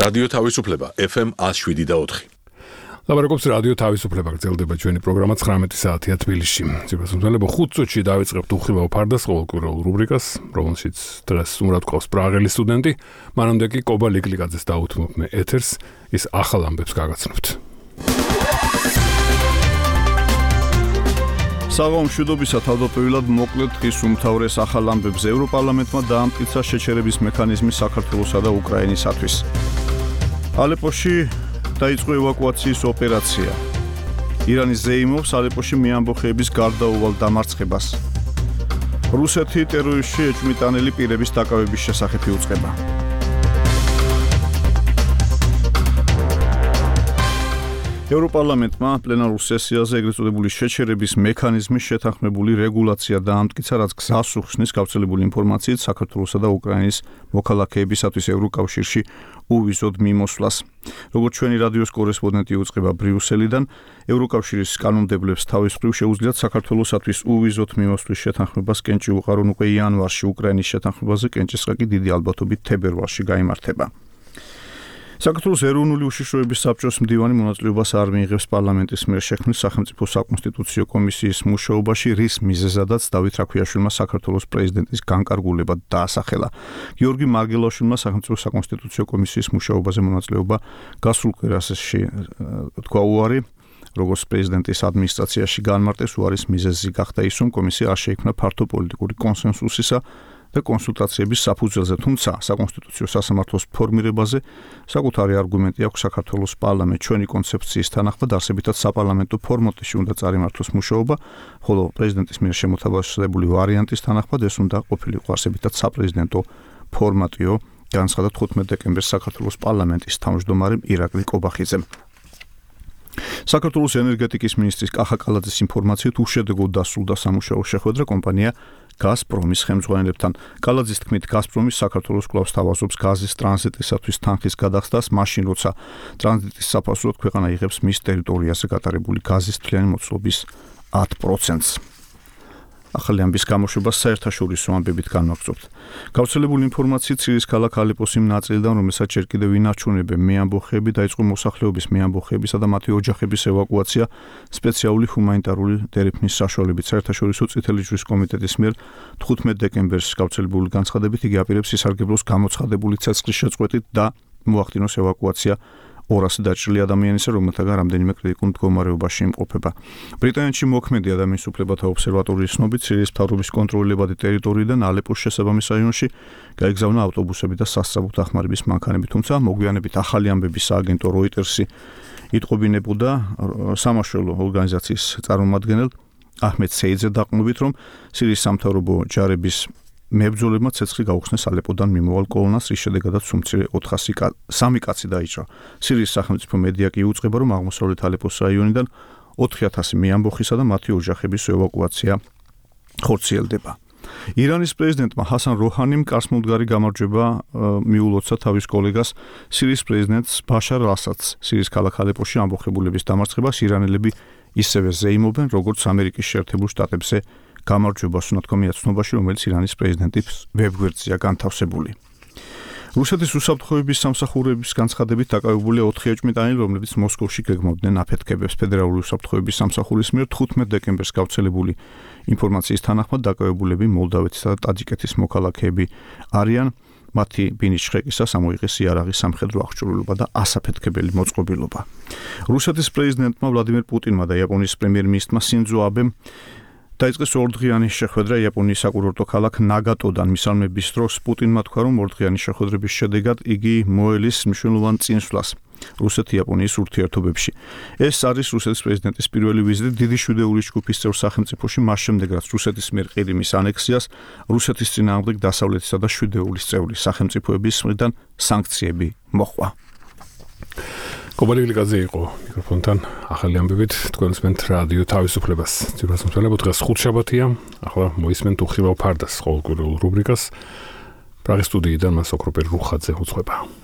რადიო თავისუფლება FM 107.4. ლაბარაკობს რადიო თავისუფლება, გრძელდება ჩვენი პროგრამა 19 საათია თბილისში. ციფროსმცველებო 5 წუთში დავიწყებთ უხილავ ფარდას ყოველკვირეულ რუბრიკას, რომელშიც დღეს უმრად ყავს პრაღელი სტუდენტი, მანამდე კი კობა ლიკლიკაძეს დაუთმობ მე ეთერს, ის ახალ ამბებს გაგაცნობთ. საღამო მშვიდობისა თავდაპირველად მოკლედ დღის უმთავრეს ახალ ამბებს ევროპარლამენტმა დაამტკიცა შეჩერების მექანიზმი საქართველოსა და უკრაინისათვის. ალეპოში დაიწყო ევაკუაციის ოპერაცია. ირანი ზეიმობს ალეპოში მეამბოხეების გარდაუვალ დამარცხებას. რუსეთი ტერორისტში ეჭვმიტანილი პირების დაკავების შესახებ იუწყება. ევროპარლამენტმა პლენარულ სესიაზე ეგრეთ წოდებული შეჩერების მექანიზმის შეთანხმებული რეგულაცია დაამტკიცა, რაც გზას უხსნის გავრცელებული ინფორმაციით საქართველოსა და უკრაინის მოქალაქეებისათვის ევროკავშირში უვიზოდ მიმოსვლას. როგორც ჩვენი რადიოს კორესპონდენტი უწყება ბრიუსელიდან, ევროკავშირის კანონმდებლებს თავის მხრივ შეუძლიათ საქართველოსათვის უვიზოდ მიმოსვლის შეთანხმებას კენჭი უყარონ უკვე იანვარში, უკრაინის შეთანხმებაზე კენჭისყრა კი დიდი ალბათობით თებერვალში გაიმართება. საქართველოს ეროვნული უშიშროების საბჭოს მდივანი მონაწილეობას არ მიიღებს პარლამენტის მიერ შექმნილ სახელმწიფო საკონსტიტუციო კომისიის მუშაობაში, რის მიზეზადაც დავით რაქვიაშვილმა საქართველოს პრეზიდენტის განკარგულება დაასახელა. გიორგი მარგელაშვილმა სახელმწიფო საკონსტიტუციო კომისიის მუშაობაზე მონაწილეობა გასულ კვირაში თქვა უარი, როგორც პრეზიდენტის ადმინისტრაციაში განმარტეს, უარის მიზეზი გახდა ის, რომ კომისია არ შეიქმნა ფართო პოლიტიკური კონსენსუსისა და კონსულტაციების საფუძველზე, თუმცა საკონსტიტუციო სასამართლოს ფორმირებაზე საკუთარი არგუმენტი აქვს საქართველოს პარლამენტს. ჩვენი კონცეფციის თანახმად არსებითად საპარლამენტო ფორმატში უნდა წარიმართოს მუშაობა, ხოლო პრეზიდენტის მიერ შემოთავაზებული ვარიანტის თანახმად ეს უნდა ყოფილიყო არსებითად საპრეზიდენტო ფორმატიო, განცხადა 15 დეკემბერს საქართველოს პარლამენტის თავმჯდომარემ ირაკლი კობახიძემ. საქართველოს ენერგეტიკის მინისტრის კახა კალაძის ინფორმაციით უშედეგოდ დასრულდა სამუშაო შეხვედრა კომპანია გაზპრომის ხელმძღვანელებთან. კალაძის თქმით, გაზპრომი საქართველოს კვლავ სთავაზობს გაზის ტრანზიტისათვის თანხის გადახდას, მაშინ როცა ტრანზიტის საფასურად ქვეყანა იღებს მის ტერიტორიაზე გატარებული გაზის თვლიანი მოცულობის 10%-ს. ახალი ამბის გამოშვებას საერთაშორისო ამბებით განვაგრძობთ. გავრცელებული ინფორმაციით ცირიის ქალაქ ალეპოს იმ ნაწილიდან, რომელსაც ჯერ კიდევ ინარჩუნებენ მეამბოხეები, დაიწყო მოსახლეობის მეამბოხეებისა და მათი ოჯახების ევაკუაცია სპეციალური ჰუმანიტარული დერეფნის საშუალებით. საერთაშორისო წითელი ჯვრის კომიტეტის მიერ 15 დეკემბერს გავრცელებული განცხადებით იგი აპირებს ისარგებლოს გამოცხადებული ცეცხლის შეწყვეტით და მოახდინოს ევაკუაცია 200 დაჭრილი ადამიანისა, რომელთაგან რამდენიმე კრიტიკულ მდგომარეობაში იმყოფება. ბრიტანეთში მოქმედი ადამიანის უფლებათა ობსერვატორიის ცნობით, სირიის მთავრობის კონტროლებადი ტერიტორიიდან ალეპოს შესაბამის რაიონში გაიგზავნა ავტობუსები და სასწრაფო დახმარების მანქანები, თუმცა მოგვიანებით ახალი ამბების სააგენტო როიტერსი იტყობინებოდა სამაშველო ორგანიზაციის წარმომადგენელ აჰმედ სეიძე დაყრდნობით, რომ სირიის სამთავრობო ჯარების მებრძოლებმა ცეცხლი გაუხსნეს ალეპოდან მიმოვალ კოლონას, რის შედეგადაც უმცირე 403 კაცი დაიჭრა. სირიის სახელმწიფო მედია კი იუწყება, რომ აღმოსავლეთ ალეპოს რაიონიდან 4000 მეამბოხისა და მათი ოჯახების ევაკუაცია ხორციელდება. ირანის პრეზიდენტმა ჰასან როჰანიმ კარსმოდგარი გამარჯვება მიულოცა თავის კოლეგას, სირიის პრეზიდენტს ბაშარ ასადს. სირიის ქალაქ ალეპოში ამბოხებულების დამარცხებას ირანელები ისევე ზეიმობენ, როგორც ამერიკის შეერთებულ შტატებზე გამარჯვებას უნათქვამია ცნობაში, რომელიც ირანის პრეზიდენტის ვებგვერდზეა განთავსებული. რუსეთის უსაფრთხოების სამსახურების განცხადებით დაკავებულია 4 ეჭვმიტანილი, რომლებიც მოსკოვში გეგმავდნენ აფეთქებებს. ფედერალური უსაფრთხოების სამსახურის მიერ 15 დეკემბერს გავრცელებული ინფორმაციის თანახმად დაკავებულები მოლდავეთისა და ტაჯიკეთის მოქალაქეები არიან. მათი ბინის შრეკისას ამოიღეს იარაღის სამხედრო აღჭურვილობა და ასაფეთქებელი მოწყობილობა. რუსეთის პრეზიდენტმა ვლადიმერ პუტინმა და იაპონიის პრემიერ-მინისტრმა სინძო აბემ დაიწყეს ორდღიანი შეხვედრა იაპონიის საკურორტო ქალაქ ნაგატოდან. მისალმების დროს პუტინმა თქვა, რომ ორდღიანი შეხვედრების შედეგად იგი მოელის მნიშვნელოვან წინსვლას რუსეთ-იაპონიის ურთიერთობებში. ეს არის რუსეთის პრეზიდენტის პირველი ვიზიტი დიდი შვიდეულის ჯგუფის წევრ სახელმწიფოში, მას შემდეგ რაც რუსეთის მიერ ყირიმის ანექსიას, რუსეთის წინააღმდეგ დასავლეთისა და შვიდეულის წევრი სახელმწიფოების მხრიდან სანქციები მოჰყვა. კობა ლიკლიკაძე იყო მიკროფონთან ახალი ამბებით თქვენსმენთ რადიო თავისუფლებას. ციფროსმცველებო დღეს ხუთშაბათია, ახლა მოისმენთ უხილავ ფარდას ყოველკვირეულ რუბრიკას. პრაღის სტუდიიდან მას ოქროპერ რუხაძე უძღვება.